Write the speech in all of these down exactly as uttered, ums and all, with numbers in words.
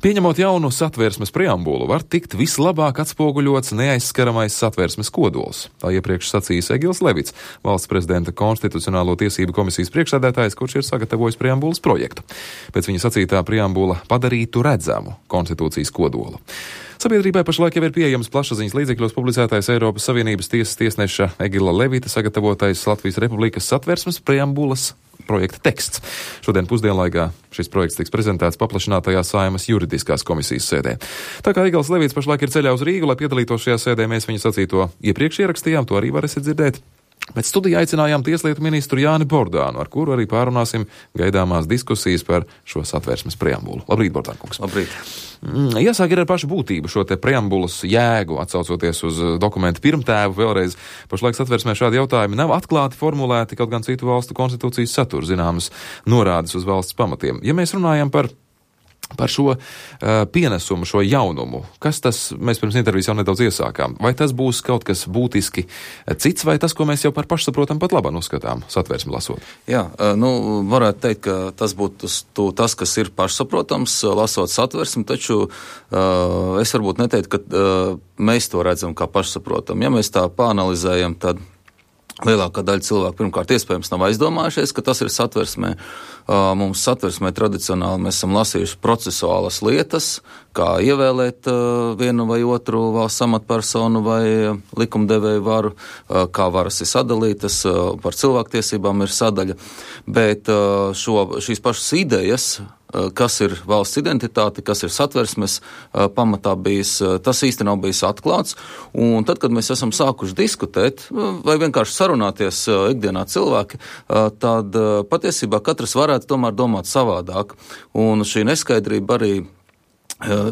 Pieņemot jaunu satversmes preambulu, var tikt vislabāk atspoguļots neaizskaramais satversmes kodols. Tā iepriekš sacījis Egils Levits, valsts prezidenta konstitucionālo tiesību komisijas priekšsēdētājs, kurš ir sagatavojis preambulas projektu. Pēc viņa sacītā preambula padarītu redzamu konstitūcijas kodolu. Sabiedrībai pašlaik jau ir pieejams plašsaziņas līdzekļos publicētais Eiropas Savienības tiesas tiesneša Egila Levita sagatavotais Latvijas Republikas satversmes preambulas projekta teksts. Šodien pusdienlaikā šis projekts tiks prezentēts paplašinātajā Saeimas juridiskās komisijas sēdē. Tā kā Egils Levits pašlaik ir ceļā uz Rīgu, lai piedalītos šajā sēdē, mēs viņa sacīto iepriekš ierakstījām, to arī varēsiet dzirdēt. Bet studijā aicinājām tieslietu ministru Jāni Bordānu, ar kuru arī pārunāsim gaidāmās diskusijas par šo satversmes preambulu. Labrīt, Bordān kungs. Labrīt. Jāsāk ir ar pašu būtību šo te preambulas jēgu, atsaucoties uz dokumentu pirmtēvu. Vēlreiz pašlaik satversmē šādi jautājumi nav atklāti formulēti, kaut gan citu valstu konstitūcijas satura zināmas norādes uz valsts pamatiem. Ja mēs runājam par Par šo uh, pienesumu, šo jaunumu, kas tas, mēs pirms intervijas jau nedaudz iesākām, vai tas būs kaut kas būtiski cits, vai tas, ko mēs jau par pašsaprotam pat labāk uzskatām, satversmi lasot? Jā, nu, varētu teikt, ka tas būtu tas, kas ir pašsaprotams, lasot satversmi, taču uh, es varbūt neteiktu, ka uh, mēs to redzam kā pašsaprotam. Ja mēs tā pāanalizējam, tad lielākā daļa cilvēku pirmkārt iespējams nav aizdomājušies, ka tas ir satversmē. Mums satversmē tradicionāli mēs esam lasījuši procesuālas lietas, kā ievēlēt vienu vai otru valsts amatpersonu vai likumdevēju varu, kā varas ir sadalītas, par cilvēktiesībām ir sadaļa, bet šo, šīs pašas idejas, kas ir valsts identitāte, kas ir satversmes pamatā bijis, tas īsti nav bijis atklāts. Un tad, kad mēs esam sākuši diskutēt vai vienkārši sarunāties ikdienā cilvēki, tad patiesībā katrs varētu tomēr domāt savādāk. Un šī neskaidrība arī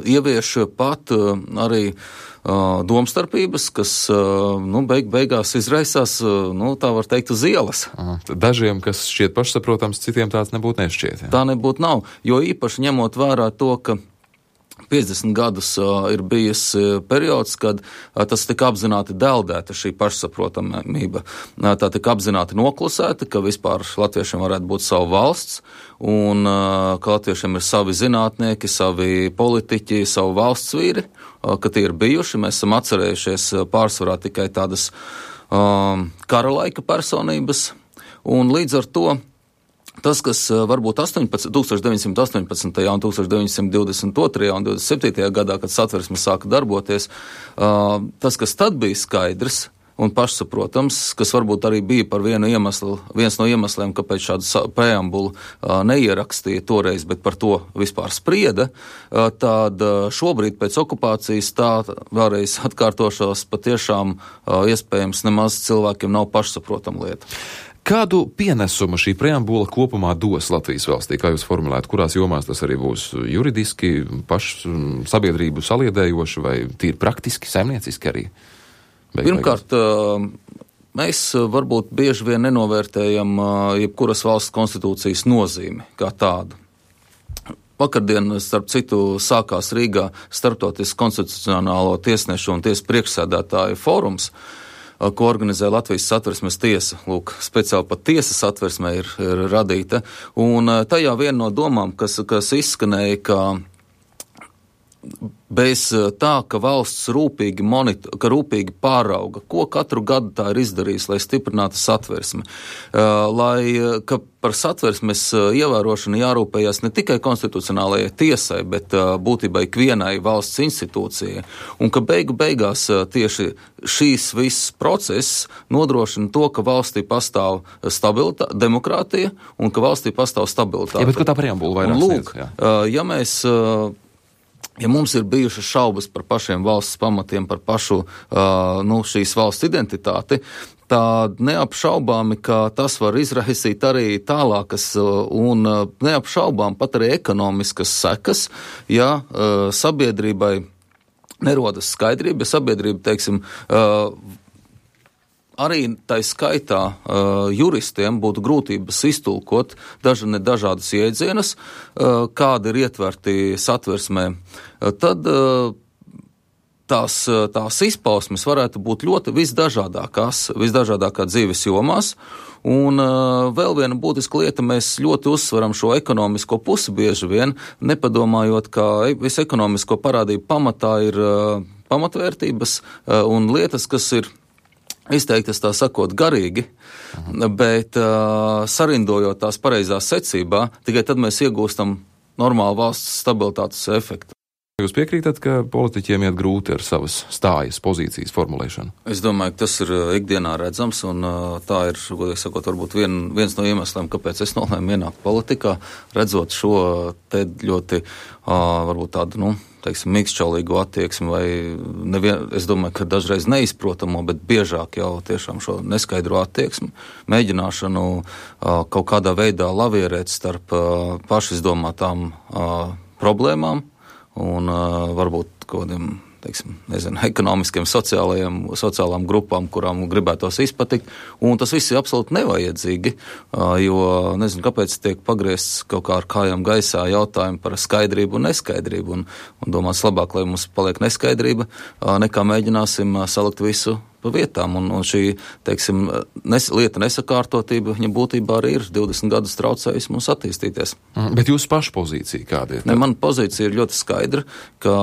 ievieš pat arī domstarpības, kas nu, beig, beigās izraisās, nu, tā var teikt, uz ielas. Aha. Dažiem, kas šķiet pašsaprotams, citiem tāds nebūtu nešķiet. Jā. Tā nebūtu nav, jo īpaši ņemot vērā to, ka piecdesmit gadus uh, ir bijis uh, periods, kad uh, tas tika apzināti deldēta šī pašsaprotamība. Uh, tā tika apzināti noklusēta, ka vispār latviešiem varētu būt savu valsts, un uh, ka latviešiem ir savi zinātnieki, savi politiķi, savu valsts vīri, uh, ka tie ir bijuši. Mēs esam atcerējušies uh, pārsvarā tikai tādas uh, kara laika personības, un līdz ar to tas, kas varbūt tusenstoš deviņsimt astoņpadsmitajā un tusenstoš deviņsimt divdesmit otrajā un divdesmit septītajā gadā, kad satversme sāka darboties, tas, kas tad bija skaidrs un pašsaprotams, kas varbūt arī bija par vienu iemeslu, viens no iemesliem, kāpēc šādu preambulu neierakstīja toreiz, bet par to vispār sprieda, tad šobrīd pēc okupācijas tā vēlreiz atkārtošos patiešām iespējams nemaz cilvēkiem nav pašsaprotama lieta. Kādu pienesumu šī preambula kopumā dos Latvijas valstī, kā jūs formulētu, kurās jomās tas arī būs juridiski, pašu sabiedrību saliedējoši vai tīri praktiski, saimnieciski arī? Beig, Pirmkārt, mēs varbūt bieži vien nenovērtējam jebkuras valsts konstitūcijas nozīmi kā tādu. Vakardien, starp citu, sākās Rīgā Starptautisks konstitucionālo tiesnešu un tiesu priekšsēdētāju fórums, ko organizē Latvijas satversmes tiesa. Lūk, speciāli pat tiesas satversmē ir, ir radīta. Un tajā viena no domām, kas, kas izskanēja, ka bez tā, ka valsts rūpīgi, monitor, ka rūpīgi pārauga, ko katru gadu tā ir izdarījusi, lai stiprinātu satversmi, lai, ka par satversmes ievērošanu jārūpējas ne tikai konstitucionālajai tiesai, bet būtībā ikvienai valsts institūcijai, un ka beigu beigās tieši šīs viss process nodrošina to, ka valstī pastāv stabilitāte, demokrātija, un ka valstī pastāv stabilitāte. Jā, bet ko tā preambula vairāk sniedz? Lūk, jā. Ja mēs Ja mums ir bijušas šaubas par pašiem valsts pamatiem, par pašu uh, nu, šīs valsts identitāti, tad neapšaubāmi, ka tas var izraisīt arī tālākas un neapšaubām pat arī ekonomiskas sekas, ja uh, sabiedrībai nerodas skaidrība, ja sabiedrība, teiksim, uh, arī tai skaitā uh, juristiem būtu grūtības iztulkot daži ne dažādas iedzienus, uh, kādi ir ietverti satversmē, uh, tad uh, tās, tās izpausmes varētu būt ļoti visdažādākās, visdažādākā dzīves jomās. Un uh, vēl viena būtiska lieta, mēs ļoti uzsveram šo ekonomisko pusi bieži vien, nepadomājot, ka visu ekonomisko parādību pamatā ir uh, pamatvērtības uh, un lietas, kas ir izteiktas, tā sakot, garīgi, Aha. bet uh, sarindojot tās pareizā secībā, tikai tad mēs iegūstam normālu valsts stabilitātes efektu. Jūs piekrītat, ka politiķiem iet grūti ar savas stājas pozīcijas formulēšanu? Es domāju, ka tas ir ikdienā redzams, un tā ir, godīgi sakot, varbūt vien, viens no iemesliem, kāpēc es nolēmu ienākt politikā, redzot šo te ļoti, varbūt tādu, nu, teiksim, mīkšķaulīgu attieksmi, vai nevien, es domāju, ka dažreiz neizprotamo, bet biežāk jau tiešām šo neskaidro attieksmi, mēģināšanu kaut kādā veidā lavierēt starp pašizdomātām problēmām, un uh, varbūt kaut kādiem, teiksim, nezinu, ekonomiskiem, sociālajiem, sociālām grupām, kurām gribētos izpatikt, un tas viss ir absolūti nevajadzīgi, uh, jo, nezinu, kāpēc tiek pagriezts kaut kā ar kājām gaisā jautājumi par skaidrību un neskaidrību, un, un domāts labāk, lai mums paliek neskaidrība, uh, nekā mēģināsim uh, salikt visu pa vietām, un, un šī, teiksim, nes, lieta nesakārtotība, viņa būtībā arī ir divdesmit gadus traucējusi mums attīstīties. Mm, bet jūsu paša pozīcija kāda ir? Ne, mana pozīcija ir ļoti skaidra, ka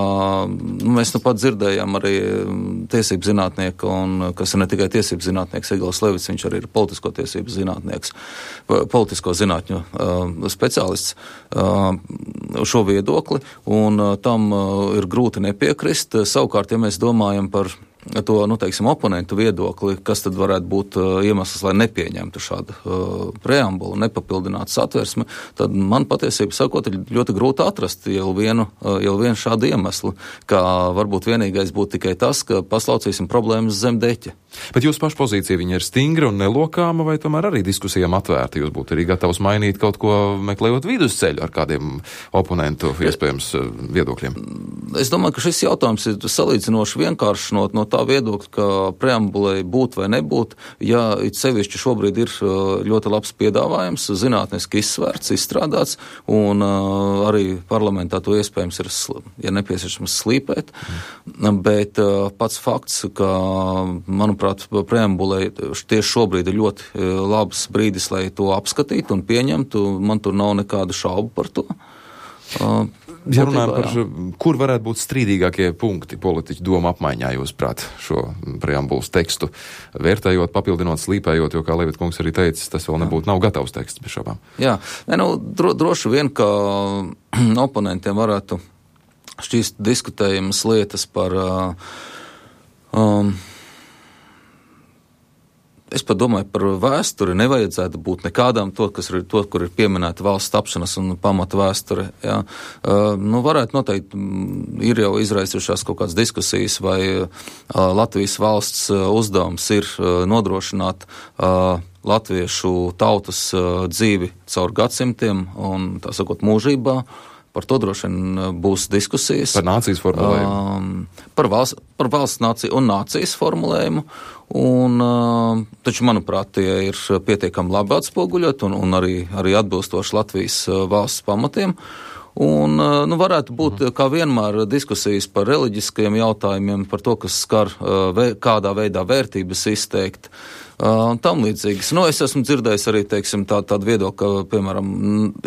nu, mēs nu pat dzirdējām arī tiesību zinātnieku, un kas ir ne tikai tiesību zinātnieks Egils Levits, viņš arī ir politisko tiesību zinātnieks, politisko zinātņu uh, speciālists uh, šo viedokli, un uh, tam uh, ir grūti nepiekrist. Savukārt, ja mēs domājam par to, nu, teiksim, oponentu viedokli, kas tad varētu būt uh, iemesls, lai nepieņemtu šādu uh, preambulu, nepapildinātu satversmi, tad man patiesībā sakot, ir ļoti grūti atrast jau vienu, uh, jau vienu šādu iemeslu, kā varbūt vienīgais būtu tikai tas, ka paslaucīsim problēmas zem deķa. Bet jūsu paša pozīcija, viņa ir stingra un nelokāma, vai tomēr arī diskusijām atvērta? Jūs būtu arī gatavs mainīt kaut ko, meklējot vidusceļu ar kādiem oponentu iespējams viedokļiem? Es domāju, ka šis jautājums ir salīdzinoši vienkāršs no, no tā viedokļa, ka preambulei būt vai nebūt, ja it sevišķi šobrīd ir ļoti labs piedāvājums, zinātniski izsvērts, izstrādāts, un uh, arī parlamentā to iespējams ir, ja nepieciešams, slīpēt, mm. bet uh, pats fakts, ka, manuprāt, preambulei tieši šobrīd ir ļoti labs brīdis, lai to apskatītu un pieņemtu, man tur nav nekādu šaubu par to. Uh, Ja runājam par, kur varētu būt strīdīgākie punkti politiķu doma apmaiņā, jūs prāt, šo preambulas tekstu, vērtējot, papildinot, slīpējot, jo, kā Levita kungs arī teica, tas vēl nebūtu nav gatavs teksts bez šābām. Jā, ne, nu, dro, droši vien, ka oponentiem varētu šķīst diskutējamas lietas par um, es pat domāju par vēsturi, nevajadzētu būt nekādām to, kas ir, to, kur ir pieminēta valsts tapšanas un pamata vēsture. Jā. Uh, nu, varētu noteikti, ir jau izraisījušās kaut kādas diskusijas, vai uh, Latvijas valsts uh, uzdevums ir uh, nodrošināt uh, latviešu tautas uh, dzīvi caur gadsimtiem un, tā sakot, mūžībā. Par to droši vien būs diskusijas. Par nācijas formulējumu. Um, par, valsts, par valsts nāciju un nācijas formulējumu. Un, uh, taču, manuprāt, tie ir pietiekami labi atspoguļot un, un arī, arī atbilstoši Latvijas uh, valsts pamatiem. Un, uh, nu, varētu būt, kā vienmēr, diskusijas par reliģiskajiem jautājumiem, par to, kas skar uh, vē, kādā veidā vērtības izteikt. Uh, un tam līdzīgas. Nu, es esmu dzirdējis arī, teiksim, tā, tādu viedokli, ka, piemēram,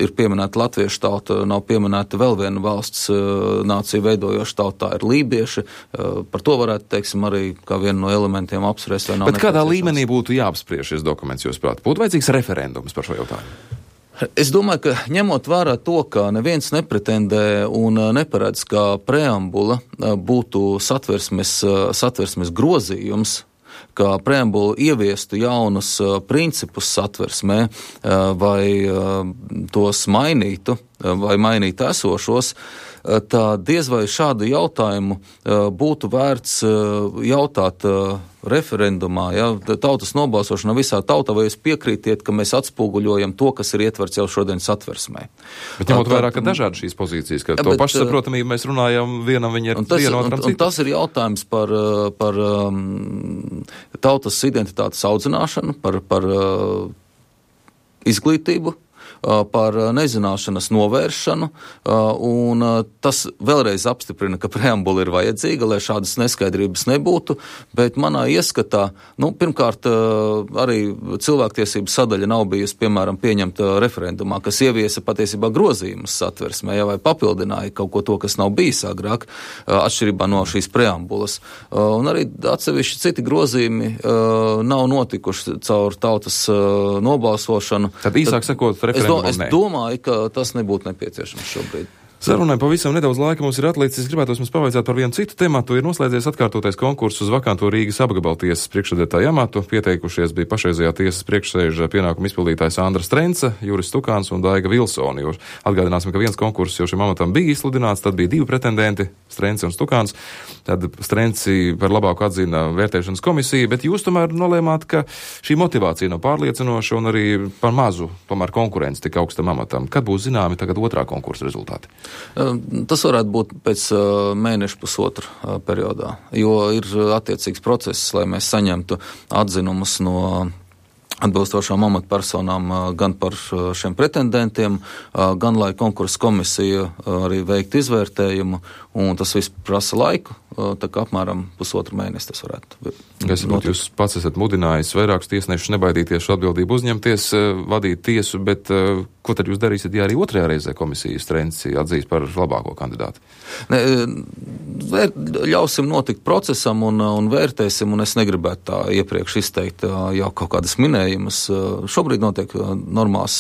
ir pieminēta latviešu tauta, nav pieminēta vēl viena valsts uh, nācija veidojoša tauta, ir lībieši. Uh, par to varētu, teiksim, arī kā vienu no elementiem apspriest. Bet kādā līmenī būtu jāapspriež šis dokuments, jūs prāt? Būtu vajadzīgs referendums par šo jautājumu? Es domāju, ka ņemot vērā to, ka neviens nepretendē un neparedz, ka preambula būtu satversmes, satversmes grozījums, ka preambula ieviestu jaunus uh, principus satversmē uh, vai uh, tos mainītu uh, vai mainītu esošos, uh, tā diez vai šādu jautājumu uh, būtu vērts uh, jautāt uh, referendumā, ja, tautas nobalsošana visā tautā, vai jūs piekrītiet, ka mēs atspoguļojam to, kas ir ietverts jau šodien satversmē. Bet ņemot vērā, ka dažādi šīs pozīcijas, ka ja, to bet, pašsaprotamību mēs runājam, vienam viņi ir viena, otram citu. Un tas ir jautājums par, par um, tautas identitātes audzināšanu, par, par uh, izglītību, par nezināšanas novēršanu, un tas vēlreiz apstiprina, ka preambula ir vajadzīga, lai šādas neskaidrības nebūtu, bet manā ieskatā, nu, pirmkārt, arī cilvēktiesību sadaļa nav bijusi, piemēram, pieņemta referendumā, kas ieviesa patiesībā grozījumus satversmē, ja, vai papildināja kaut ko to, kas nav bijis agrāk, atšķirībā no šīs preambulas. Un arī atsevišķi citi grozījumi nav notikuši caur tautas nobalsošanu. Tad īsāk sakot, referendumam es, do, es domāju, ka tas nebūtu nepieciešams šobrīd. Sarunai pavisam nedaudz laika mums ir atlicis. Es gribētu jums pavaicāt par vienu citu tematu. Ir noslēdzies atkārtotais konkurss uz vakanto Rīgas apgabaltiesas priekšsēdētāja amatu. Pieteikušies bija pašreizējā tiesas priekšsēža pienākuma izpildītājs Andra Strence, Juris Stukāns un Daiga Vilsoni. Jo atgādināsim, ka viens konkurss jau šim amatam bija izsludināts, tad bija divi pretendenti, Strence un Stukāns. Tad Strenci par labāku atzina vērtēšanas komisija, bet jūs tomēr nolēmāt, ka šī motivācija nav pārliecinoša un arī par mazu tomēr konkurence tik augstam amatam. Kad būs zināmi tagad otrā konkursa rezultāti? Tas varētu būt pēc mēneša pusotra periodā, jo ir attiecīgs process, lai mēs saņemtu atzinumus no atbilstošām amatpersonām gan par šiem pretendentiem, gan lai konkursa komisija arī veiktu izvērtējumu, un tas viss prasa laiku, tā kā apmēram pusotru mēnesi tas varētu. Es saprotu, jūs pats esat mudinājis vairākus tiesnešus nebaidīties šo atbildību uzņemties, vadīt tiesu, bet ko tad jūs darīsiet, ja arī otrajā reizē komisijas Strenci atzīs par labāko kandidātu? Ne, vēr, ļausim notikt procesam un, un vērtēsim, un es negribētu tā iepriekš izteikt jau kaut kādas minējumas. Šobrīd notiek normāls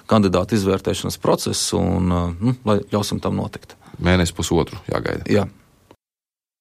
kandidātu izvērtēšanas process, un nu, lai ļausim tam notikt. Mēnesi pusotru jāgaida. Jā.